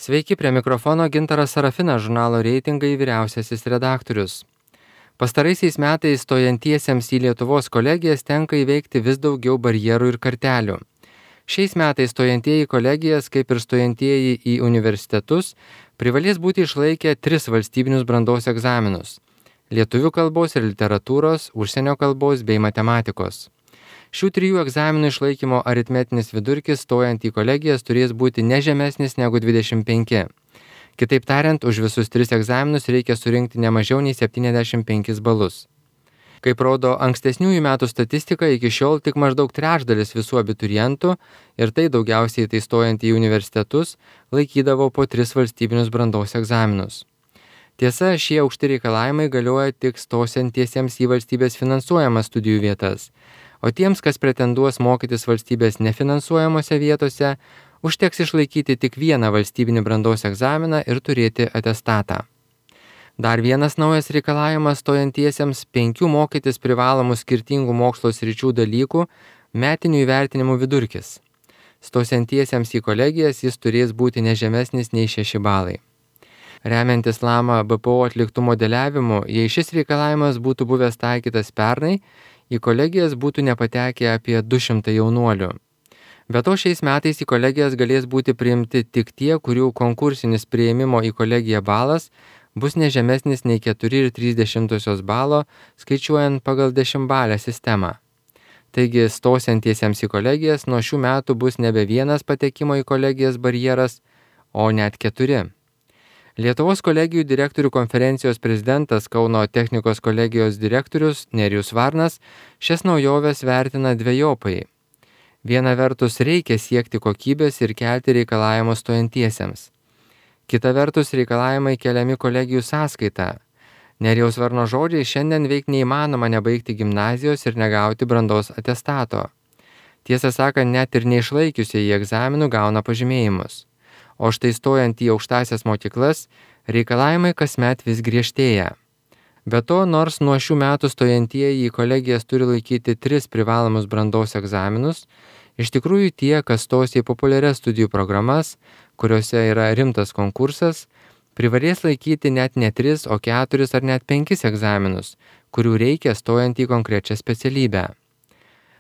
Sveiki, prie mikrofono Gintaras Sarafinas, žurnalo Reitingai vyriausiasis redaktorius. Pastaraisiais metais stojantiesiems į Lietuvos kolegijas tenka įveikti vis daugiau barjerų ir kartelių. Šiais metais stojantieji į kolegijas, kaip ir stojantieji į universitetus, privalės būti išlaikę 3 valstybinius brandos egzaminus – lietuvių kalbos ir literatūros, užsienio kalbos bei matematikos. Šių 3 egzaminų išlaikymo aritmetinis vidurkis stojant į kolegijas turės būti ne žemesnis negu 25. Kitaip tariant, už visus 3 egzaminus reikia surinkti ne mažiau nei 75 balus. Kaip rodo ankstesniųjų metų statistika, iki šiol tik maždaug trečdalis visų abiturientų, ir tai daugiausiai tai stojant į universitetus, laikydavo po 3 valstybinius brandos egzaminus. Tiesa, šie aukšti reikalavimai galioja tik stosiantiesiems į valstybės finansuojamas studijų vietas, o tiems, kas pretenduos mokytis valstybės nefinansuojamose vietose, užteks išlaikyti tik vieną valstybinį brandos egzaminą ir turėti atestatą. Dar vienas naujas reikalavimas stojantiesiems – 5 mokytis privalomų skirtingų mokslo sričių dalykų metinių įvertinimų vidurkis. Stosiantiesiems į kolegijas jis turės būti nežemesnis nei 6 balai. Remiantis Lama BPO atliktų modeliavimu, jei šis reikalavimas būtų buvęs taikytas pernai, į kolegijas būtų nepatekę apie 200 jaunuolių. Be to šiais metais į kolegijas galės būti priimti tik tie, kurių konkursinis priėmimo į kolegiją balas bus nežemesnis nei 4,3 balo, skaičiuojant pagal 10-balę sistemą. Taigi, stosiantiesiems į kolegijas nuo šių metų bus nebe vienas patekimo į kolegijas barjeras, o net 4. Lietuvos kolegijų direktorių konferencijos prezidentas Kauno technikos kolegijos direktorius Nerijus Varnas šias naujoves vertina dvejopai. Viena vertus reikia siekti kokybės ir kelti reikalavimus stojantiesiems. Kita vertus reikalavimai keliami kolegijų sąskaita. Nerijaus Varno žodžiai šiandien veik neįmanoma nebaigti gimnazijos ir negauti brandos atestato. Tiesą sakant, net ir neišlaikiusieji egzaminų gauna pažymėjimus. O štai stojant į aukštąsias mokyklas, reikalavimai kasmet vis griežtėja. Be to, nors nuo šių metų stojantieji į kolegijas turi laikyti 3 privalomus brandos egzaminus, iš tikrųjų tie, kas stos į populiarias studijų programas, kuriuose yra rimtas konkursas, privalės laikyti net ne 3, o 4 ar net 5 egzaminus, kurių reikia stojant į konkrečią specialybę.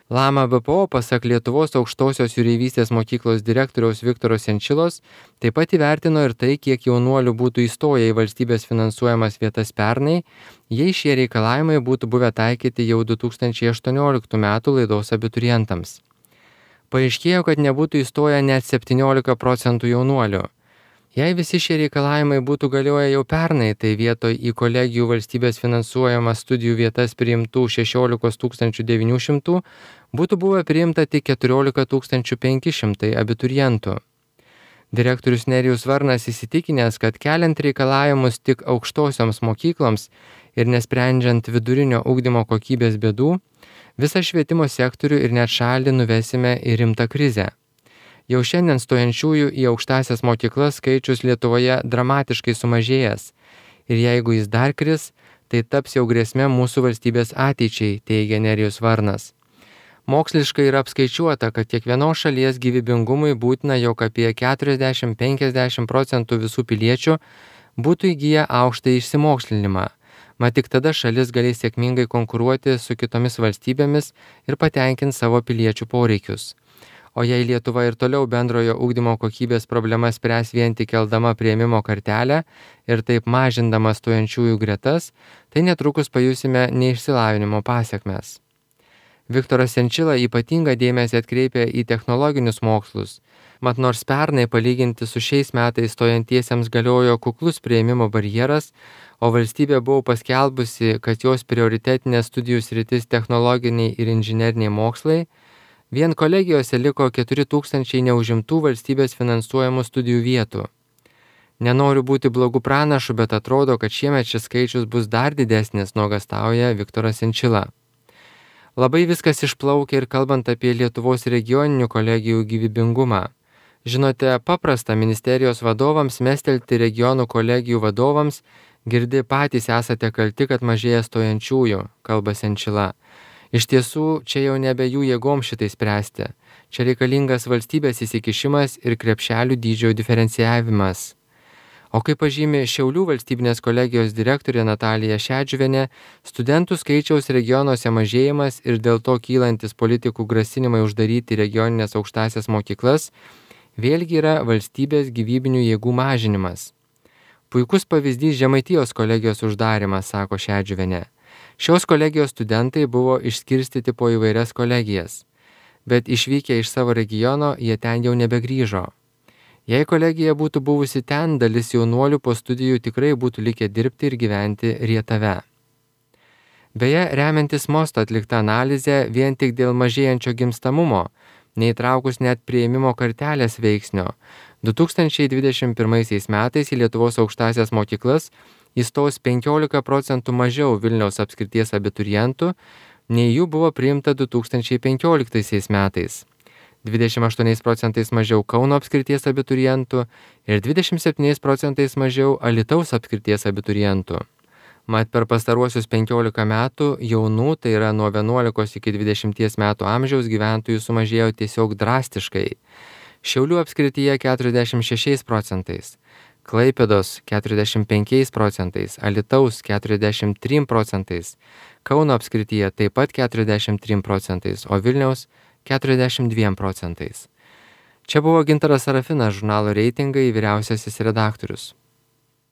Lama BPO, pasak Lietuvos aukštosios jūreivystės mokyklos direktoriaus Viktoro Senčilos, taip pat įvertino ir tai, kiek jaunuolių būtų įstoję į valstybės finansuojamas vietas pernai, jei šie reikalavimai būtų buvę taikyti jau 2018 metų laidos abiturientams. Paaiškėjo, kad nebūtų įstoję net 17% jaunuolių. Jei visi šie reikalavimai būtų galioję jau pernai, tai vietoj į kolegijų valstybės finansuojamas studijų vietas priimtų 16 900 būtų buvę priimta tik 14 500 abiturientų. Direktorius Nerijus Varnas įsitikinęs, kad keliant reikalavimus tik aukštosioms mokykloms ir nesprendžiant vidurinio ugdymo kokybės bėdų, visą švietimo sektorių ir net šalį nuvesime į rimtą krizę. Jau šiandien stojančiųjų į aukštąsias mokyklas skaičius Lietuvoje dramatiškai sumažėjęs ir jeigu jis dar kris, tai taps jau grėsmė mūsų valstybės ateičiai, teigia Nerijus Varnas. Moksliškai yra apskaičiuota, kad kiekvienos šalies gyvybingumui būtina, jog apie 40–50% visų piliečių būtų įgiję aukštąjį išsimokslinimą. Mat tik tada šalis galės sėkmingai konkuruoti su kitomis valstybėmis ir patenkinti savo piliečių poreikius. O jei Lietuva ir toliau bendrojo ugdymo kokybės problemas spręs vien tik keldama priėmimo kartelę ir taip mažindama stojančiųjų gretas, tai netrukus pajusime neišsilavinimo pasekmes. Viktoras Senčila ypatingą dėmesį atkreipia į technologinius mokslus. Mat nors pernai palyginti su šiais metais stojantiesiems galiojo kuklus priėmimo barjeras, o valstybė buvo paskelbusi, kad jos prioritetinė studijų sritis technologiniai ir inžineriniai mokslai, vien kolegijose liko 4000 neužimtų valstybės finansuojamų studijų vietų. Nenoriu būti blogų pranašų, bet atrodo, kad šiemet šis skaičius bus dar didesnis, nuogąstauja Viktoras Senčila. Labai viskas išplaukia ir kalbant apie Lietuvos regioninių kolegijų gyvybingumą. Žinote, paprasta ministerijos vadovams mestelti regionų kolegijų vadovams, girdi patys esate kalti, kad mažėja stojančiųjų, kalba Senčila. Iš tiesų, čia jau nebe jų jėgom šitai spręsti. Čia reikalingas valstybės įsikišimas ir krepšelių dydžio diferencijavimas. O kaip pažymi Šiaulių valstybinės kolegijos direktorė Natalija Šedžiuvienė, studentų skaičiaus regionuose mažėjimas ir dėl to kylantis politikų grasinimai uždaryti regioninės aukštąsias mokyklas vėlgi yra valstybės gyvybinių jėgų mažinimas. Puikus pavyzdys Žemaitijos kolegijos uždarimas, sako Šedžiuvienė. Šios kolegijos studentai buvo išskirstyti po įvairias kolegijas, bet išvykę iš savo regiono jie ten jau nebegrįžo. Jei kolegija būtų buvusi ten, dalis jaunuolių po studijų tikrai būtų likę dirbti ir gyventi Rietave. Beje, remiantis Mosto atlikta analizė, vien tik dėl mažėjančio gimstamumo, neįtraukus net priėmimo kartelės veiksnio, 2021 metais į Lietuvos aukštąsias mokyklas įstos 15% mažiau Vilniaus apskrities abiturientų, nei jų buvo priimta 2015 metais. 28% mažiau Kauno apskrities abiturientų ir 27% mažiau Alytaus apskrities abiturientų. Mat per pastaruosius 15 metų jaunų, tai yra nuo 11 iki 20 metų amžiaus gyventojų sumažėjo tiesiog drastiškai. Šiaulių apskrityje 46%, Klaipėdos 45%, Alytaus 43%, Kauno apskrityje taip pat 43%, o Vilniaus 42%. Čia buvo Gintaras Sarafinas, žurnalo Reitingai vyriausiasis redaktorius.